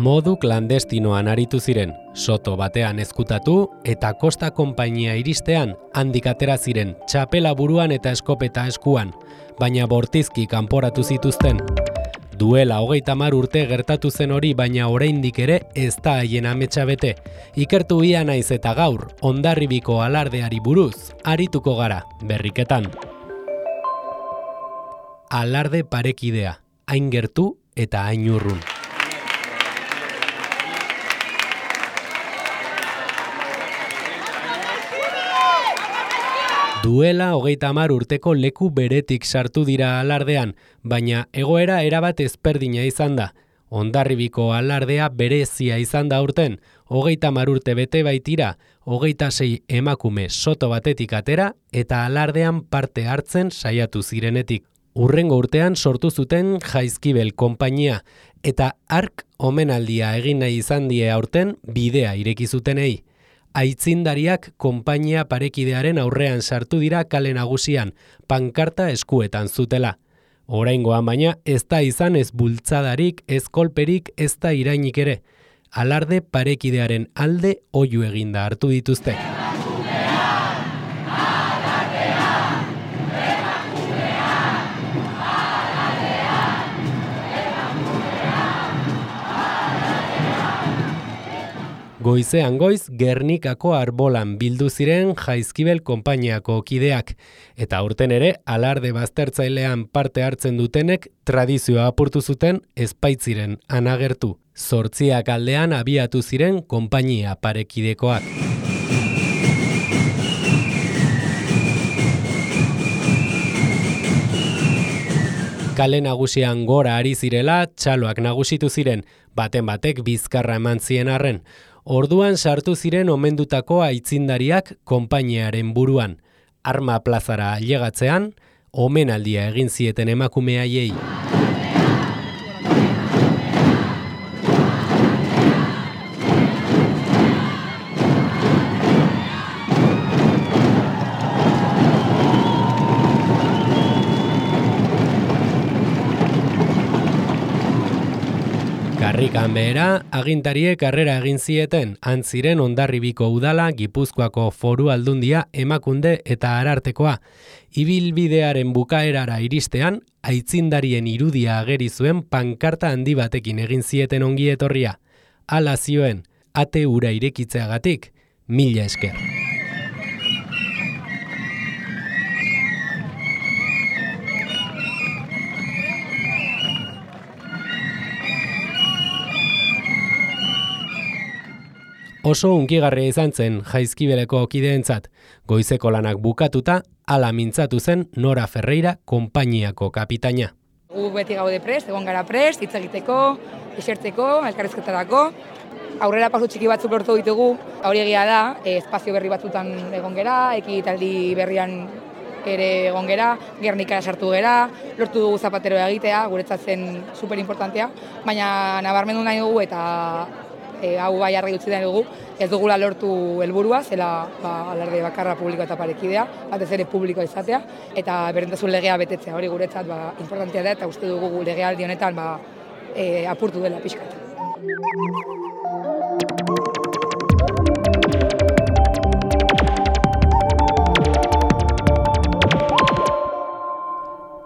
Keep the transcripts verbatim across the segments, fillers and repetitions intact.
Modu klandestinoan aritu ziren, soto batean ezkutatu eta Kosta konpainia iristean handik atera ziren txapela buruan eta eskopeta eskuan, baina bortizki kanporatu zituzten. Duela hogeita hamar urte gertatu zen hori, baina oraindik ere ez da haien ametsa bete. Ikertu ia naiz eta gaur, Hondarribiko alardeari buruz, arituko gara, berriketan. Alarde parekidea, hain gertu eta hain urrun. Duela hogeita hamar urteko leku beretik sartu dira alardean, baina egoera erabat ezberdina izan da. Hondarribiko alardea berezia izan da aurten, hogeita hamar urte bete baitira, hogeita sei emakume soto batetik atera eta alardean parte hartzen saiatu zirenetik. Hurrengo urtean sortu zuten Jaizkibel konpainia eta hark omenaldia egin nahi izan die aurten bidea ireki zutenei. Aitzindariak konpainia parekidearen aurrean sartu dira kale nagusian, pankarta eskuetan zutela. Oraingoan baina ez da izan ez bultzadarik, ez kolperik, ez da irainik ere. Alarde parekidearen alde oihu eginda hartu dituzte. Goizean goiz Gernikako arbolan bildu ziren Jaizkibel konpainiako kideak, eta aurten ere alarde baztertzailean parte hartzen dutenek tradizioa apurtu zuten ezpaitziren anagertu. Zortziak aldean abiatu ziren konpainia parekidekoak. Kale nagusian gora ari zirela, txaloak nagusitu ziren, baten batek bizkarra eman zien arren. Orduan sartu ziren omendutako aitzindariak konpainiaren buruan. Arma plazara ailegatzean, omenaldia egin zieten emakume haiei. Karrikan behera, agintariek harrera egin zieten, antziren Hondarribiko udala, Gipuzkoako Foru Aldundia, Emakunde eta Arartekoa. Ibilbidearen bukaerara iristean, aitzindarien irudia ageri zuen pankarta handi batekin egin zieten ongi etorria. Hala zioen, ate ura irekitzeagatik, mila esker. Oso hunkigarria izan zen Jaizkibeleko kideentzat. Goizeko lanak bukatuta, hala mintzatu zen Nora Ferreira konpainiako kapitaina. Gu beti gaude prest, egon gara prest, hitz egiteko, esertzeko, elkarrizketarako. Aurrera pasu txiki batzuk lortu ditugu, hori egia da, espazio berri batzutan egon gera, ekitaldi berrian ere egon gera, Gernikara sartu gera, lortu dugu zapateroa egitea, guretzat zen superimportantea, baina nabarmendu nahi dugu eta E, hau bai argi utzi da dugu, ez dugula lortu helburua, zela ba, alarde bakarra publiko eta parekidea, batez ere publikoa izatea, eta berdintasun legea betetzea, hori guretzat ba, importantea da, eta uste dugu legealdi honetan ba, e, apurtu dela pixkat.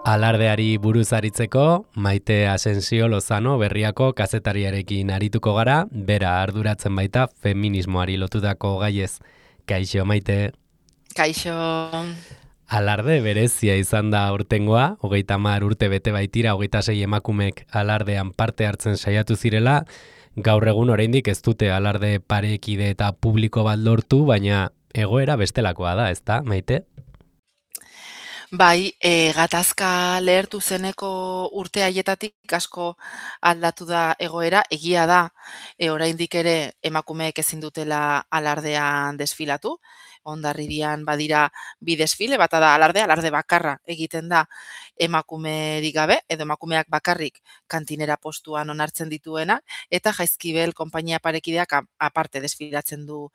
Alardeari buruz aritzeko, Maite Asensio Lozano berriako kazetariarekin arituko gara, bera arduratzen baita feminismoari lotutako gaiez. Kaixo, Maite. Kaixo. Alarde berezia izan da aurtengoa, hogeita hamar urte bete baitira, hogeita sei emakumek alardean parte hartzen saiatu zirela. Gaur egun oraindik ez dute alarde parekide eta publiko bat lortu, baina egoera bestelakoa da, ezta, Maite? Bai, e, gatazka lehertu zeneko urte haietatik asko aldatu da egoera, egia da, e, oraindik ere emakumeek ezin dutela alardean desfilatu, Hondarribian badira bi desfile, bata da alarde, alarde bakarra egiten da emakumerik gabe, edo emakumeak bakarrik kantinera postuan onartzen dituena, eta Jaizkibel konpainia parekideak a- aparte desfilatzen du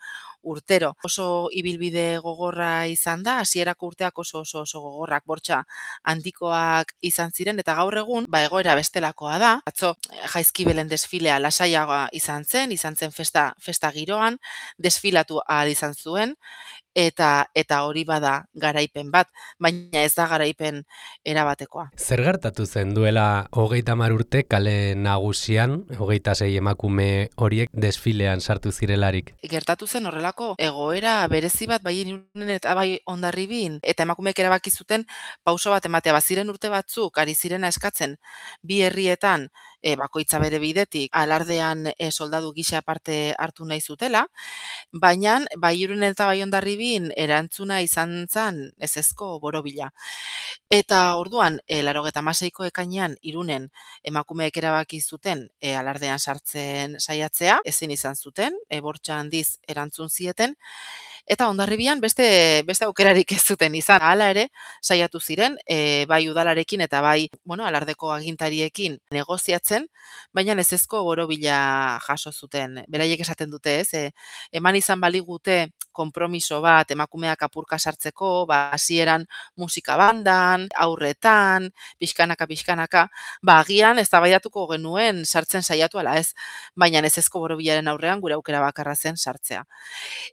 urtero. Oso ibilbide gogorra izan da, hasierako urteak oso oso oso gogorrak, bortxa handikoak izan ziren, eta gaur egun, ba egoera bestelakoa da. Atzo eh, Jaizkibelen desfilea lasaiagoa izan zen, izan zen festa, festa giroan, desfilatu ahal izan zuen, eta eta hori bada garaipen bat, baina ez da garaipen erabatekoa. Zer gertatu zen duela hogeita hamar urte kale nagusian, hogeita sei emakume horiek desfilean sartu zirelarik? Gertatu zen horrelako egoera berezi bat bai Irunen eta bai Hondarribin, eta emakumeek erabaki zuten pauso bat ematea. Baziren urte batzuk ari zirena eskatzen bi herrietan e, bakoitza bere bidetik alardean e, soldadu gisa parte hartu nahi zutela, baina bai Irunen eta bai Hondarribin erantzuna izan zen ezezko borobila. Eta orduan, e, laurogeita hamaseiko ekainean Irunen emakumeek erabaki zuten e, alardean sartzen saiatzea, ezin izan zuten, e, bortxa handiz erantzun zieten, eta Hondarribian beste beste aukerarik ez zuten izan. Hala ere, saiatu ziren, e, bai udalarekin eta bai, bueno, alardeko agintariekin negoziatzen, baina ezezko borobila jaso zuten. Beraiek esaten dute, ez? E, eman izan baligute konpromiso bat emakumeak apurka sartzeko, ba hasieran musika bandan, aurretan, pixkanaka pixkanaka, ba agian eztabaidatuko genuen sartzen saiatu ala ez, baina ezezko borobilaren aurrean gure aukera bakarra zen sartzea.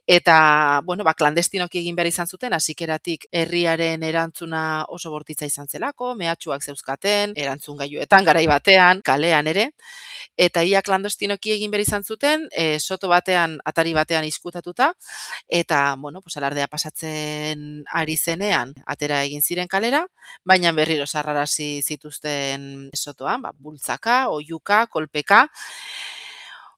Eta, bueno, ba, klandestinoki egin behar izan zuten, hasikeratik herriaren erantzuna oso bortitza izan zelako, mehatxuak zeuzkaten, erantzun gailuetan, garai batean, kalean ere, eta ia klandestinoki egin behar izan zuten, e, soto batean, atari batean izkutatuta, eta, bueno, pues, alardea pasatzen ari zenean, atera egin ziren kalera, baina berriro sarrarazi zituzten sotoan, ba, bultzaka, oihuka, kolpeka,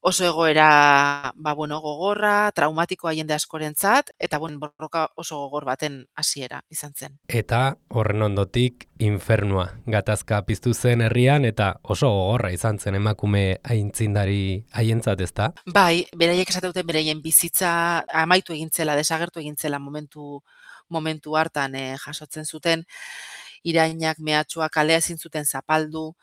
oso egoera, ba, bueno, gogorra, traumatikoa jende askorentzat, eta bueno, borroka oso gogor baten hasiera izan zen. Eta horren ondotik infernua gatazka piztu zen herrian eta oso gogorra izan zen emakume aintzindari haientzat, ezta? Bai, beraiek esate duten beraien bizitza amaitu egin zela, desagertu egin zela momentu momentu hartan eh, jasotzen zuten irainak, mehatxuak, kalea ezin zuten zapaldu,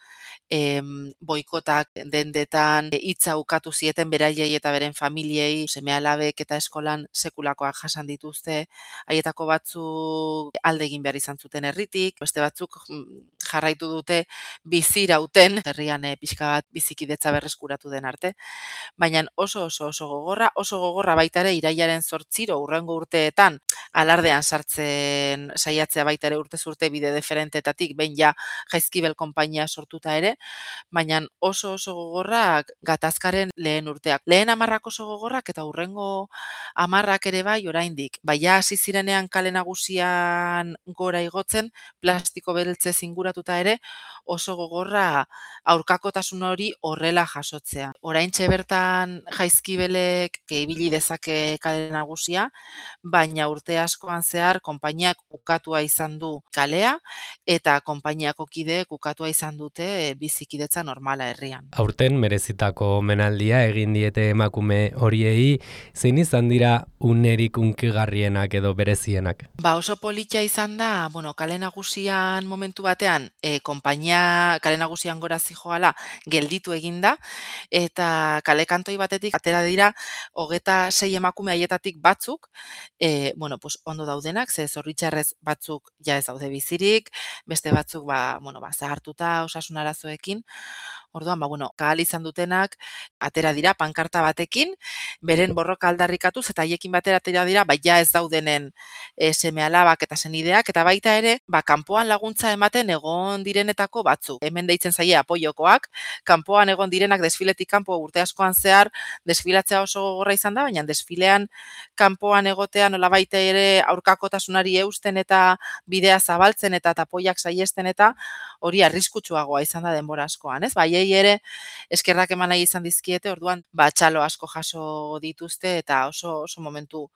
em, boikotak dendetan, hitza ukatu zieten beraiei eta beren familiei, seme-alabek eta eskolan sekulakoak jasan dituzte, haietako batzuk alde egin behar izan zuten herritik, beste batzuk mm, jarraitu dute bizirauten, herrian eh, pixka bat bizikidetza berreskuratu den arte, baina oso oso oso gogorra, oso gogorra baita ere irailaren zortziro urrengo urteetan alardean sartzen saiatzea baita ere urtez urte bide deferentetatik, behin ja Jaizkibel konpainia sortuta ere, baina oso oso gogorrak gatazkaren lehen urteak. Lehen hamarrak oso gogorrak eta hurrengo hamarrak ere bai oraindik. Baina hasi zirenean kale nagusian gora igotzen, plastiko beltzez inguratuta ere, oso gogorra aurkakotasun hori horrela jasotzea. Oraintxe bertan Jaizkibelek ibili dezake kale nagusia, baina urte askoan zehar konpainiak ukatua izan du kalea eta konpainiako kideek ukatua izan dute bizikidetza normala herrian. Aurten merezitako omenaldia egin diete emakume horiei, zein izan dira unerik unkigarrienak edo berezienak? Ba oso polita izan da, bueno, kale nagusian momentu batean, e, konpainia kale nagusian gora zijoala gelditu eginda, eta kale kantoi batetik atera dira hogeta sei emakume haietatik batzuk, e, bueno, pues ondo daudenak, ze zorritxarrez batzuk ja ez daude bizirik, beste batzuk ba, bueno, ba, zahartuta osasun arazoekin. Orduan, ba, bueno, kahal izan dutenak atera dira pankarta batekin, beren borroka aldarrikatuz eta haiekin batera atera dira, ba, ja ez daudenen e, seme-alabak eta senideak, eta baita ere, ba, kanpoan laguntza ematen egon direnetako batzuk. Hemen deitzen zaie apoiokoak, kanpoan egon direnak desfiletik kanpo urte askoan zehar desfilatzea oso gogorra izan da, baina desfilean kanpoan egotea nolabait ere aurkakotasunari eusten eta bidea zabaltzen eta tapoiak saiesten eta hori arriskutsuagoa izan da denbora askoan, ez? Baiei ere eskerrak eman nahi izan dizkiete, orduan ba txalo asko jaso dituzte eta oso oso momentu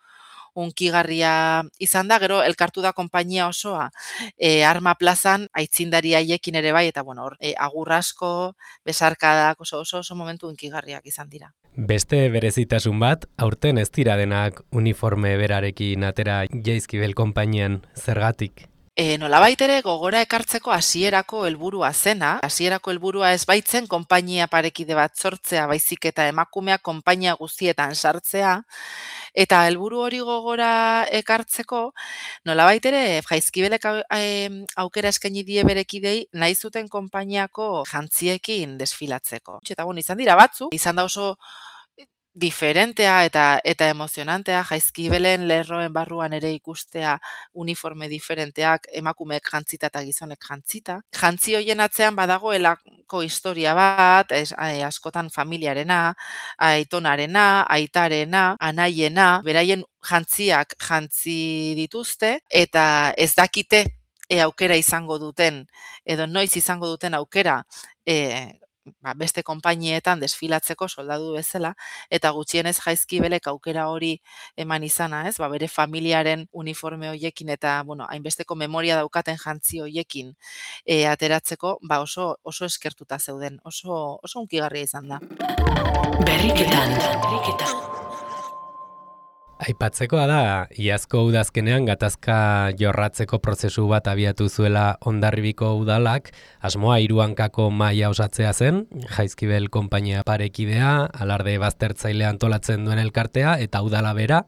unkigarria izan da, gero elkartu da konpainia osoa e, Arma plazan aitzindari haiekin ere bai, eta bueno, hor, e, agur asko, besarkadak oso oso oso momentu unkigarriak izan dira. Beste berezitasun bat, aurten ez dira denak uniforme berarekin atera Jaizkibel konpainian, zergatik? E, nolabait ere gogora ekartzeko hasierako helburua zena, hasierako helburua ez baitzen konpainia parekide bat sortzea, baizik eta emakumeak konpainia guztietan sartzea, eta helburu hori gogora ekartzeko, nolabait ere Jaizkibelek aukera eskaini die berekidei nahi zuten konpainiako jantziekin desfilatzeko. Eta bueno, izan dira batzu, izan da oso diferentea eta eta emozionantea Jaizkibelen lerroen barruan ere ikustea uniforme diferenteak emakumeek jantzita eta gizonek jantzita. Jantzi hoien atzean badagoelako historia bat, es, askotan familiarena, aitonarena, aitarena, anaiena, beraien jantziak jantzi dituzte eta ez dakite e, aukera izango duten edo noiz izango duten aukera e, Ba, beste konpainietan desfilatzeko soldadu bezala, eta gutxienez Jaizkibelek aukera hori eman izana, ez? Ba, bere familiaren uniforme hoiekin eta, bueno, hainbesteko memoria daukaten jantzi hoiekin e, ateratzeko, ba, oso oso eskertuta zeuden, oso oso hunkigarria izan da. Berriketan, berriketan. Aipatzekoa da, iazko udazkenean gatazka jorratzeko prozesu bat abiatu zuela Hondarribiko udalak, asmoa hiru hankako mahaia osatzea zen, Jaizkibel konpainia parekidea, alarde baztertzailea antolatzen duen elkartea eta udala bera,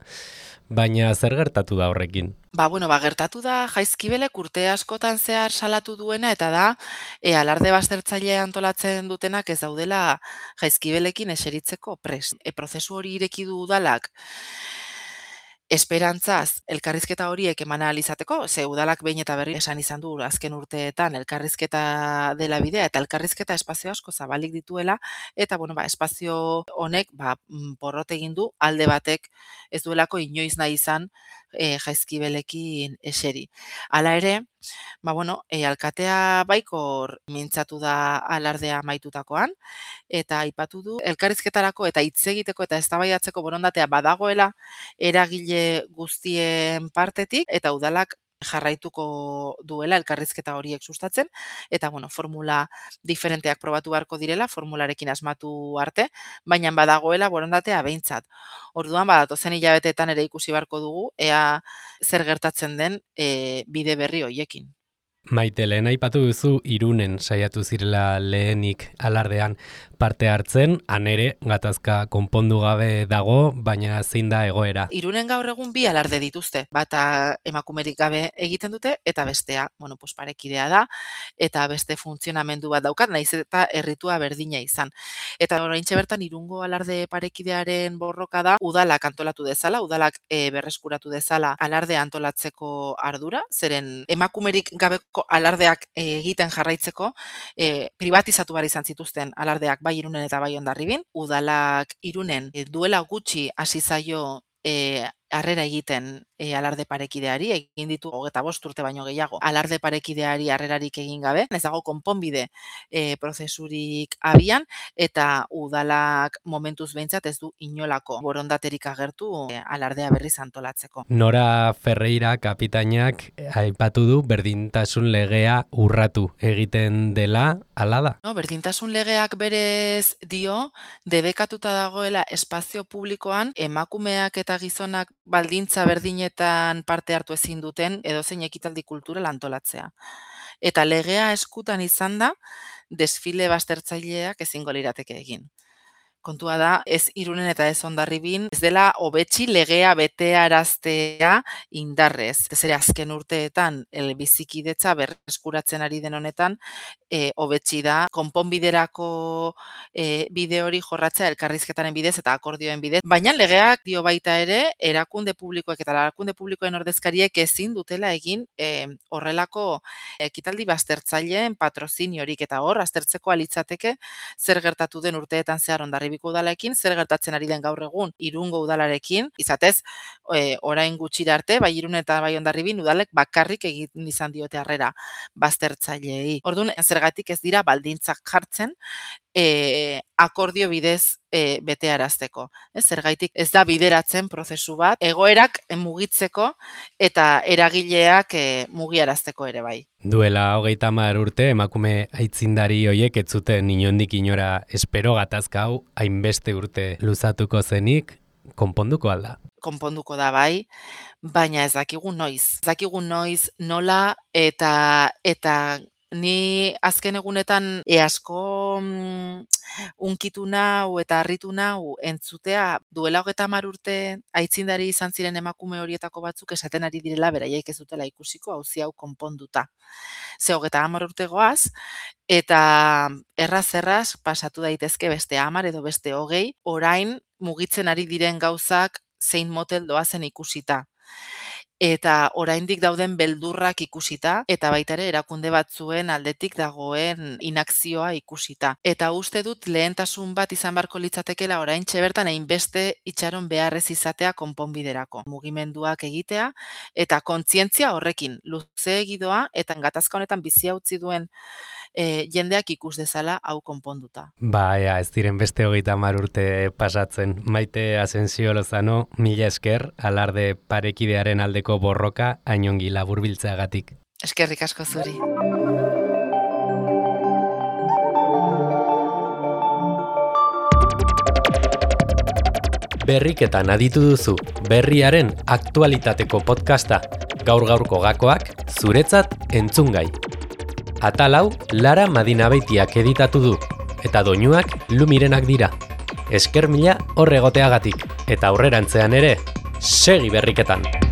baina zer gertatu da horrekin? Ba, bueno, ba, gertatu da Jaizkibelek urte askotan zehar salatu duena eta da e, alarde baztertzailea antolatzen dutenak ez daudela Jaizkibelekin eseritzeko prest. E, prozesu hori ireki du udalak esperantzaz elkarrizketa horiek eman ahal izateko, ze udalak behin eta berri esan izan du azken urteetan elkarrizketa dela bidea eta elkarrizketa espazio asko zabalik dituela eta bueno, ba, espazio honek ba, porrot egin du alde batek ez duelako inoiz nahi izan e, Jaizkibelekin eseri. Hala ere, ba, bueno, e, alkatea baikor mintzatu da alardea amaitutakoan eta aipatu du elkarrizketarako eta hitz egiteko eta eztabaidatzeko borondatea badagoela eragile guztien partetik eta udalak jarraituko duela elkarrizketa horiek sustatzen eta bueno, formula diferenteak probatu beharko direla, formularekin asmatu arte, baina badagoela borondatea behintzat. Orduan badatozen hilabeteetan ere ikusi beharko dugu ea zer gertatzen den e, bide berri hoiekin. Maite, lehen aipatu duzu Irunen saiatu zirela lehenik alardean parte hartzen, han ere gatazka konpondu gabe dago, baina zein da egoera. Irunen gaur egun bi alarde dituzte, bata emakumerik gabe egiten dute eta bestea, bueno, pues parekidea da eta beste funtzionamendu bat daukat, naiz eta erritua berdina izan. Eta oraintxe bertan Irungo alarde parekidearen borroka da udalak antolatu dezala, udalak e, berreskuratu dezala alarde antolatzeko ardura, zeren emakumerik gabeko alardeak egiten jarraitzeko e, privatizatu behar izan zituzten alardeak bai Irunen eta bai Hondarribin. Udalak Irunen e, duela gutxi hasi zaio e, harrera egiten e, alarde parekideari, egin ditu hogeita bost urte baino gehiago, alarde parekideari harrerarik egin gabe, ez dago konponbide e, prozesurik abian, eta udalak momentuz behintzat ez du inolako borondaterik agertu e, alardea berriz antolatzeko. Nora Ferreira kapitainak aipatu du berdintasun legea urratu egiten dela, hala da? No, berdintasun legeak berez dio, debekatuta dagoela espazio publikoan emakumeak eta gizonak baldintza berdinetan parte hartu ezin duten edozein ekitaldi kultural antolatzea. Eta legea eskutan izan da, desfile baztertzaileak ezingo lirateke egin. Kontua da, ez Irunen eta ez Hondarribin, ez dela hobetsi legea betearaztea indarrez. Ez ere azken urteetan, el bizikidetza berreskuratzen ari den honetan, e, hobetsi da, konponbiderako e, bide hori jorratzea elkarrizketaren bidez eta akordioen bidez. Baina legeak dio baita ere, erakunde publikoek eta erakunde publikoen ordezkariek ezin dutela egin e, horrelako ekitaldi baztertzaileen patroziniorik eta hor, aztertzeko alitzateke zer gertatu den urteetan zehar Hondarribiko udalarekin, zer gertatzen ari den gaur egun Irungo udalarekin, izatez, e, orain gutxira arte, bai Irun eta bai Hondarribin udalek bakarrik egin izan diote harrera baztertzaileei. Orduan, zergatik ez dira baldintzak jartzen, e, akordio bidez e, betearazteko. Ez, zergaitik ez da bideratzen prozesu bat, egoerak mugitzeko eta eragileak e, mugiarazteko ere bai. Duela hogeita hamar urte emakume aitzindari hoiek ez zuten inondik inora espero gatazka hau hainbeste urte luzatuko zenik, konponduko alda. Konponduko da bai, baina ez dakigu noiz. Ez dakigu noiz nola eta eta ni azken egunetan e asko mm, unkitu nau eta harritu nau entzutea duela hogeita hamar urte aitzindari izan ziren emakume horietako batzuk esaten ari direla beraiek ez dutela ikusiko auzi hau konponduta. Ze hogeita hamar urte goaz, eta erraz-erraz pasatu daitezke beste hamar edo beste hogei, orain mugitzen ari diren gauzak zein motel doazen ikusita. Eta oraindik dauden beldurrak ikusita, eta baita ere erakunde batzuen aldetik dagoen inakzioa ikusita. Eta uste dut lehentasun bat izan barko litzatekela oraintxe bertan hainbeste itxaron beharrez izatea konponbiderako. Mugimenduak egitea eta kontzientzia horrekin luze egidoa eta gatazka honetan bizia utzi duen E, jendeak ikus dezala hau konponduta. Ba, ea, ez diren beste hogeita hamar urte pasatzen. Maite Asensio Lozano, mila esker, alarde parekidearen aldeko borroka hainongi laburbiltzeagatik. Eskerrik asko zuri. Berriketan aditu duzu, berriaren aktualitateko podcasta, gaur-gaurko gakoak, zuretzat entzungai. Atal hau Lara Madinabeitiak editatu du, eta doinuak Lumirenak dira. Esker mila horregoteagatik, eta aurrerantzean ere, segi berriketan!